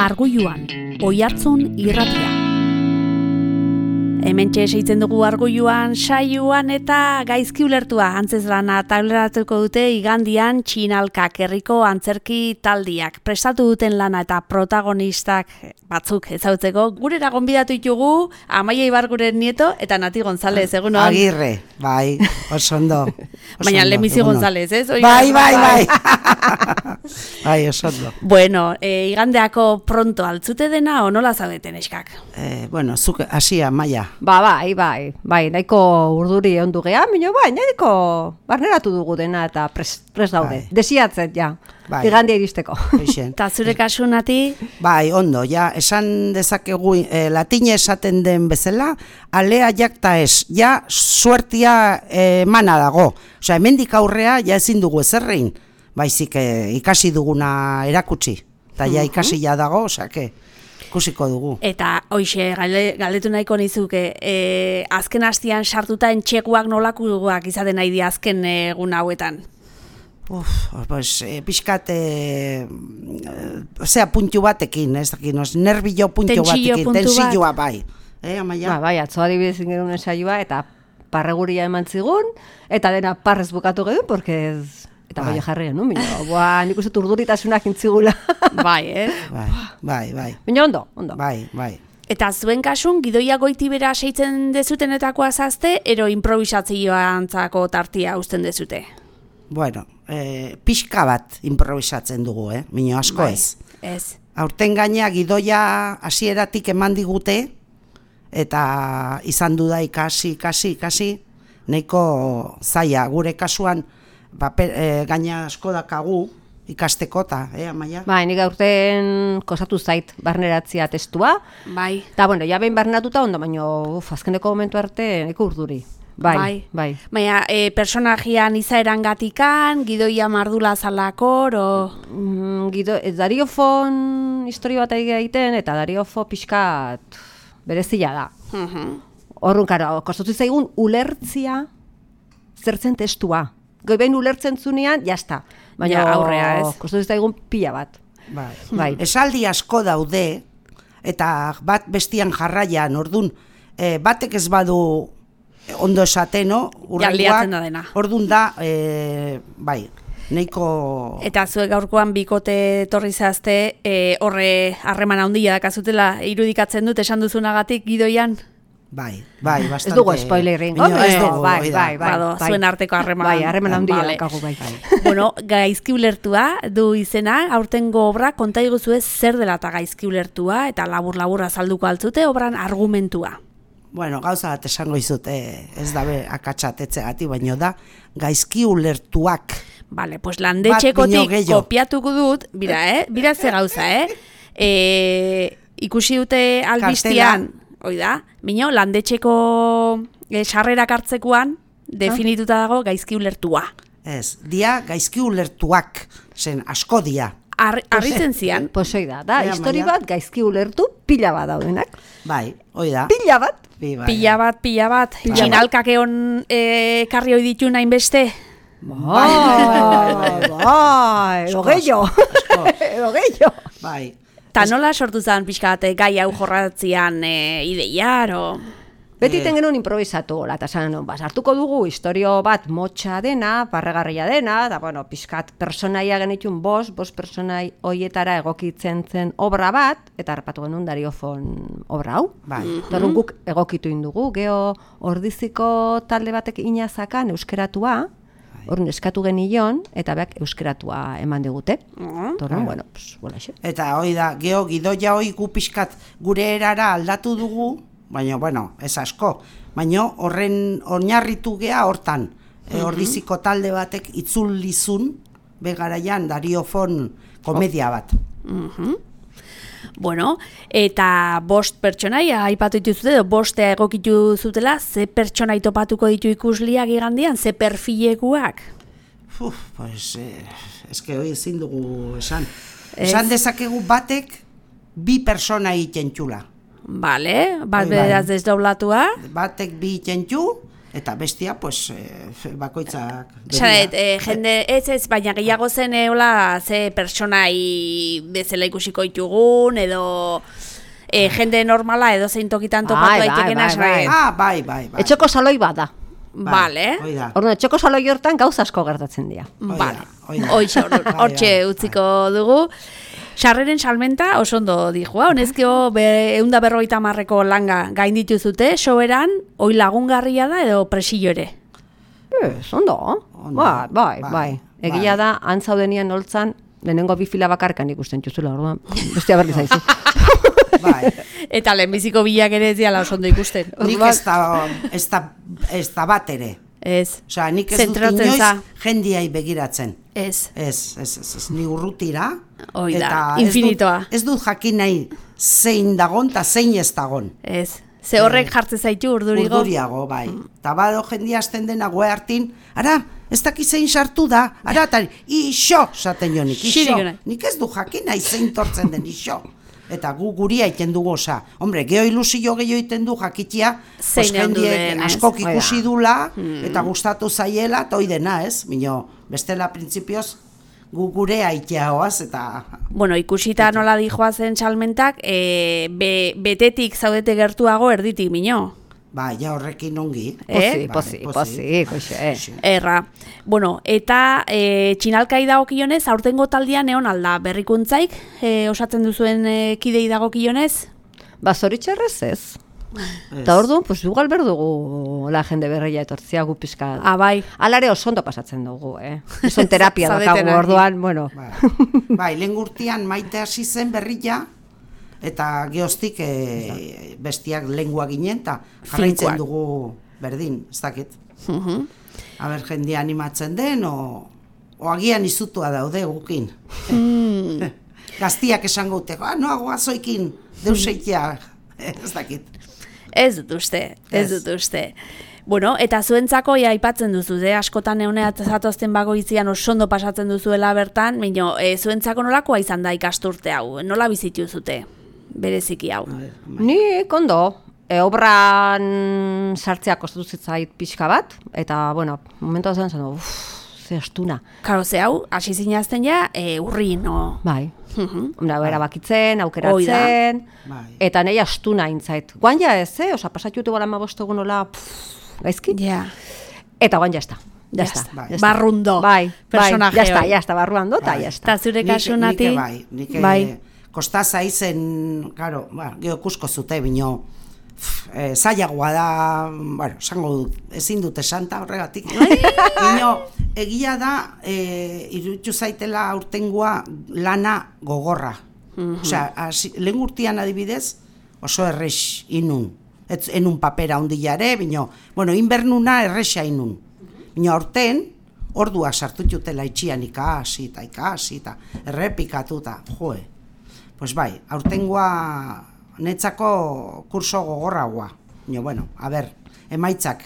Argoiluan, Oihartzun irratia. Hementxe seitzen dugu Argoiluan, saioan eta gaizki ulertua antzezlana tauleratuko dute igandian Txinalkak herriko antzerki taldiak. Prestatu duten lana eta protagonistak batzuk ezagutzeko gurera gonbidatu ditugu Amaia Ibarguren nieto eta Nati González, egunon. Agirre, bai, oso ondo. Baina Lemizi González, ez? Bai. Bai, oso ondo. Bueno, igandeako pronto altzute dena o nola zaudeten eskak? Bueno, zuk hasia, Maia. Bai, nahiko urduri ondu geha, nahiko barneratu dugu dena eta pres daude. Bai. Desiatzen, ja, Bai. igandia iristeko. Eta zure kasu, Nati? Bai, ondo, ja, esan dezakegu latine esaten den bezala, alea jakta ez, ja, suertia emana dago. Osea, hemendik aurrea, ja ezin dugu ezerrein, baizik ikasi duguna erakutsi. Eta ja ikasi ja dago, osea, ikusiko dugu. Eta hoixe galdetu nahiko nizuke, azken hastian sartuta entxeguak nolakuak izaten nahi di azken egun hauetan? Pixkat, puntu batekin, ez dakin, nervio puntu batekin, tensioa bai. Amaia? Bai, atzo adibidez ingerun saioa eta parreguria eman zigun, eta dena parrez bukatu gedun, porque eta bai jarria, no? Nik uste urduritasunak intzigula. Bai, Bai. Baina ondo. Bai. Eta zuen kasun, gidoia goitibera seitzen dezutenetakoa zazte, ero improvisatzioantzako tartia uzten dezute? Bueno, pixka bat improvisatzen dugu, Mino asko bai, ez. Aurten gaina gidoia hasieratik eman digute, eta izan du da ikasi, nahiko zaila, gure kasuan, gaina asko dakagu ikasteko eta, Amaia? Bai, nik aurten kosatu zait barneratzia testua. Bai. Eta, bueno, ja behin barneratuta ondo, baina azkeneko momentu arte nahiko urduri. Bai. Baina, personajian izaeran gatikan, gidoia mardula zalakor, Dariofon historio bat egiten, eta Dariofo pixkat berezia da. Horrun, karo, kostatu zaigun ulertzia zertzen testua. Behin ulertzen zunean, jazta. Baina aurrea ez. Kostatu zaigun pila bat. Bai. Esaldi asko daude, eta bat bestian jarraian, ordun, batek ez badu ondo esateno, urrengoak, ordun da, bai, nahiko... Eta zuek gaurkoan bikote etorri zazte, horre harreman handia dakazutela irudikatzen dut esan duzunagatik gidoian? Bai, bastante. Ez dugu spoilerin. Ez dugu, bai. Zuen arteko harreman. Bai, harreman handia dakagu, bai. Bueno, gaizki ulertua du izena, aurtengo obra konta iguzue zer dela eta gaizki ulertua, eta labur-laburra azalduko altzute obran argumentua. Bueno, gauza bat esango izute, ez dabe akatsatetzeagatik, baino da gaizki ulertuak. Vale, pues landetxekotik kopiatuko dut, bira ze gauza, ikusi dute albistian, oida, mino, landetxeko sarrerak hartzekoan definituta dago gaizki ulertua. Ez, dia gaizki ulertuak, zen asko dia. Arritzen zian. Posoi da, histori bat gaizki ulertu pila bat daudenak. Bai, hoi da. Pila bat. Pila bat. Txinalkak egon karri hoi ditu nahin beste. Bai, edo gehiago. Bai. Ta nola sortu zen pixka bat gai hau jorratzian ideiar, Beti tengenun improvisatu, eta hartuko dugu historio bat motxa dena, barregarria dena, eta bueno, pixkat personaia genitun bost personai hoietara egokitzen zen obra bat, eta harrapatu genuen Dariofon obra hau. Bai. Torrun guk egokitu indugu, geho ordiziko talde batek inazakan euskeratua, horren eskatu genion, eta beak euskeratua eman digute. Torrun, bueno, bola xe. Eta hoi da, geho gidoia hoi gu pixkat gure erara aldatu dugu, baina, bueno, ez asko. Baina horren oinarritu gea hortan. Ordiziko talde batek itzulizun begaraian Dariofon komedia bat. Bueno, eta bost pertsonaia aipatu dituzute, bostea egokitu zutela, ze pertsonai topatuko ditu ikusliak igandian, ze perfilekuak? Pues, eske hoi ezin dugu esan. Esan dezakegu batek bi persona egiten txula. Bale, bat beraz desdoblatua. Batek bi itentxu, Eta bestia, pues, bakoitzak... Jende, ez, baina gehiago zen hola ze personai bezala ikusiko ditugun, edo jende normala edo zein tokitan topatu daitekena. Bai. Etxoko saloi bat da. Vale. Orduan, etxoko saloi hortan gauza asko gertatzen dira. Vale. Hortxe utziko dugu. Sarreren salmenta oso ondo dijua, honezkio 150ko langa gain dituzute, soberan, oi lagungarria da edo presillo ere? Ondo. Bai. Egia da, antzaudenian holtzan, lehenengo 2 fila bakarkan ikusten txuzula, orduan, bestia berri zaizu. Bai. Eta lehenbiziko bilak ere ez diala oso ondo ikusten. Nik ez da bat ere. Ez. Osea, nik ez dut inoiz jendiai begiratzen. Ez. Ez, ni urrutira. Oida, infinitoa. Ez dut jakin nahi zein dagon eta zein ez dagon. Ez. Ze horrek jartzen zaitu urdurigo? Urduriago, bai. Eta bado jendia azten dena goe hartin, ara, ez daki zein sartu da, ara, eta iso, zaten jo nik, iso. Nik ez du jakin nahi zein tortzen den iso. Eta guria iten dugu, osa, hombre, geho ilusio gehiago iten du jakitia, jendiek askok ikusi dula, eta gustatu zaiela, eta hoi dena, ez? Mino, bestela printzipioz, gure aiteagoaz, eta... Bueno, ikusita nola dijoazen salmentak, betetik zaudete gertuago erditik, mino? Ba, ja horrekin ongi. Pozi. Erra. Bueno, eta txinalkai dagokionez, aurtengo taldean egon alda berrikuntzaik, osatzen duzuen kidei dagokionez? Ba, zoritxarrez ez. Eta orduan, pues igual berdugu la jende berria etortzia gu pizka. Bai. Alare oso ondo pasatzen dugu, Son terapia dakagu orduan, bueno. Bai, lehen urtean Maite hasi zen berria, eta geoztik bestiak lengua ginen, eta jarraitzen dugu berdin, ez dakit. Aber, jendea animatzen den, o agian izutua daude gukin. Gaztiak esango uteko, noago azoikin deuseikia, ez dakit. Ez dut uste. Bueno, eta zuentzako aipatzen duzu, askotan eguneat zatozten bagoitzian osondo pasatzen duzuela bertan, baina zuentzako nolakoa izan da ikasturte hau, nola bizitu zute? Bereziki hau. Ni kondo, obran sartzea kostatu zitzait pixka bat, eta, bueno, momentu zen zen, ze astuna. Karo, ze hau, hasi zinazten ja, urri, no? Bai. Erabakitzen, aukeratzen, eta nahi astuna intzait. Guan ja ez, osa, pasatxutu gara mabostegun nola, gaizki? Ja. Eta guan jazta. Barrundo. Jazta, barruando, eta jazta. Eta zure kasunati? Nik kostaza izen, claro, geho kusko zute, bino, zailagoa da, bueno, esango dut, ezin dute santa horregatik. Bino, egia da, iruditu zaitela aurtengoa lana gogorra. Osea, lehen urtean adibidez, oso errex inun. Enun papera ondilare, bino, bueno, inbernuna errexa inun. Bino, aurten, orduak sartututela itxian ikasi, eta errepikatu, eta joe. Pues bai, aurtengoa netzako kurso gogorragoa. Bueno, a ber, emaitzak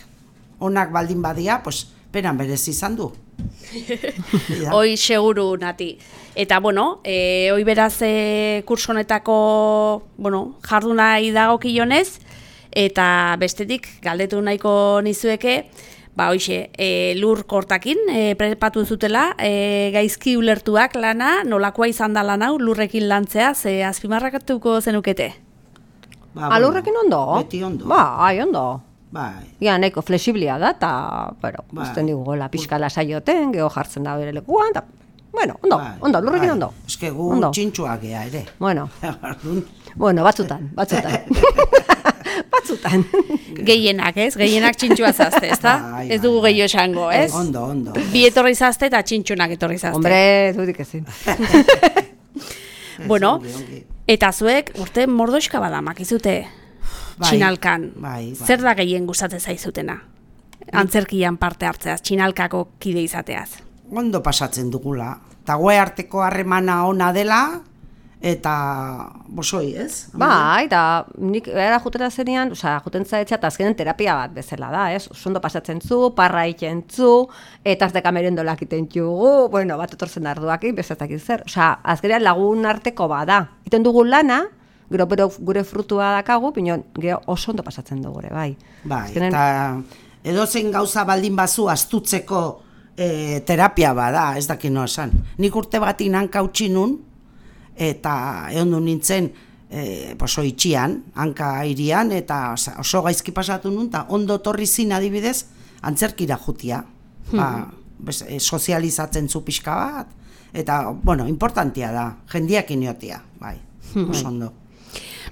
onak baldin badia, pues peran berez izan du. Hoi seguru, Nati. Eta, bueno, hoi beraz kurso honetako, bueno, jardunai dagokionez, eta bestetik galdetu nahiko nizueke, ba, hoxe, lur kortakin prepatu zutela, gaizki ulertuak lana, nolakoa izan da lan hau, lurrekin lantzea, ze azpimarrakatuko zenukete? Alurrekin ondo? Beti ondo. Bai, ondo. Bai. Ja, nahiko flexiblia da, eta, bueno, usten digu gola pixka lasaioten, geho jartzen da bere lekuan, eta, bueno, ondo, lurrekin ondo. Ez que gu txintxuak gea ere. Bueno, batzutan. Batzutan. Gehienak, ez? Gehienak txintxua zazte, ez da? Ez dugu gehiago esango, ez? Ondo. Bi etorri zazte eta txintxunak etorri zazte. Hombre, dudik ezin. Bueno, eta zuek urte mordoxka badamak izute txinalkan. Zer da gehien gustatzen zaizutena? Antzerkian parte hartzeaz, txinalkako kide izateaz. Ondo pasatzen dugula. Eta goe arteko harremana ona dela, eta bosoi, ez? Bai, eta nik era jutera zenean, juten zaitza, eta azkenen terapia bat bezala da, ez? Ondo pasatzen zu, parra iten zu, eta azteka merendolak iten jugu, bueno, bat etortzen arduakin, bezatak zer. Azkenean lagun arteko bada. Iten dugu lana, gero gure frutua dakagu, pinon, gero oso ondo pasatzen dugu, bai. Bai, eta edozein gauza baldin bazu astutzeko terapia bada, ez dakit noa esan. Nik urte batin hanka utzi nun, eta egon nintzen, oso itxian, hanka irian, eta oso gaizki pasatu nun, eta ondo torri zin adibidez, antzerkira jutia. Sozializatzen zu pixka bat, eta, bueno, importantia da, jendiak iniotia, bai, oso ondo.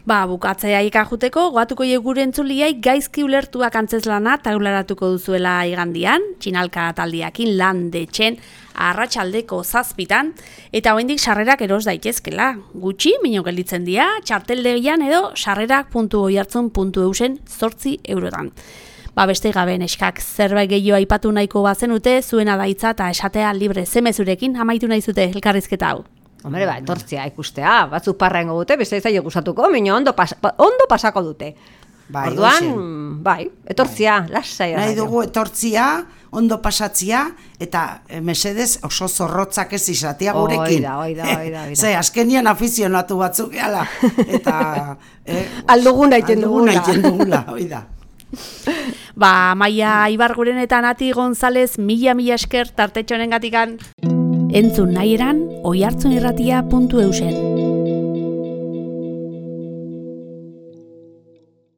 Bukatzea ikajuteko, goatuko gure entzuliai gaizki ulertuak antzezlana taularatuko duzuela igandian, txinalka taldiakin lan detxen, arratsaldeko 7:00, eta oraindik sarrerak eros daitezkela. Gutxi, mino gelditzen dira, txarteldegian edo sarrerak.oihartzun.eusen 8 eurotan. Beste gabe neskak zerbait gehiago aipatu nahiko bazenute, zuena daitza eta esatea libre zemezurekin amaitu nahi zute elkarrizketa hau. Hombre, etortzea ikustea, batzuk parra ingo dute, beste zaila gustatuko, mino ondo pasako dute. Orduan, etortzea, lasai. Nahi dugu etortzia, ondo pasatzia, eta mesedez oso zorrotzak ez izatea gurekin. Oida. Ze, azkenian afizionatu batzuk eala, eta... Alduguna iten dugula, oida. Maia Ibarguren eta Nati González mila esker tartetxonen gatikan. Entzun nahi eran, oihartzunirratia.eusen.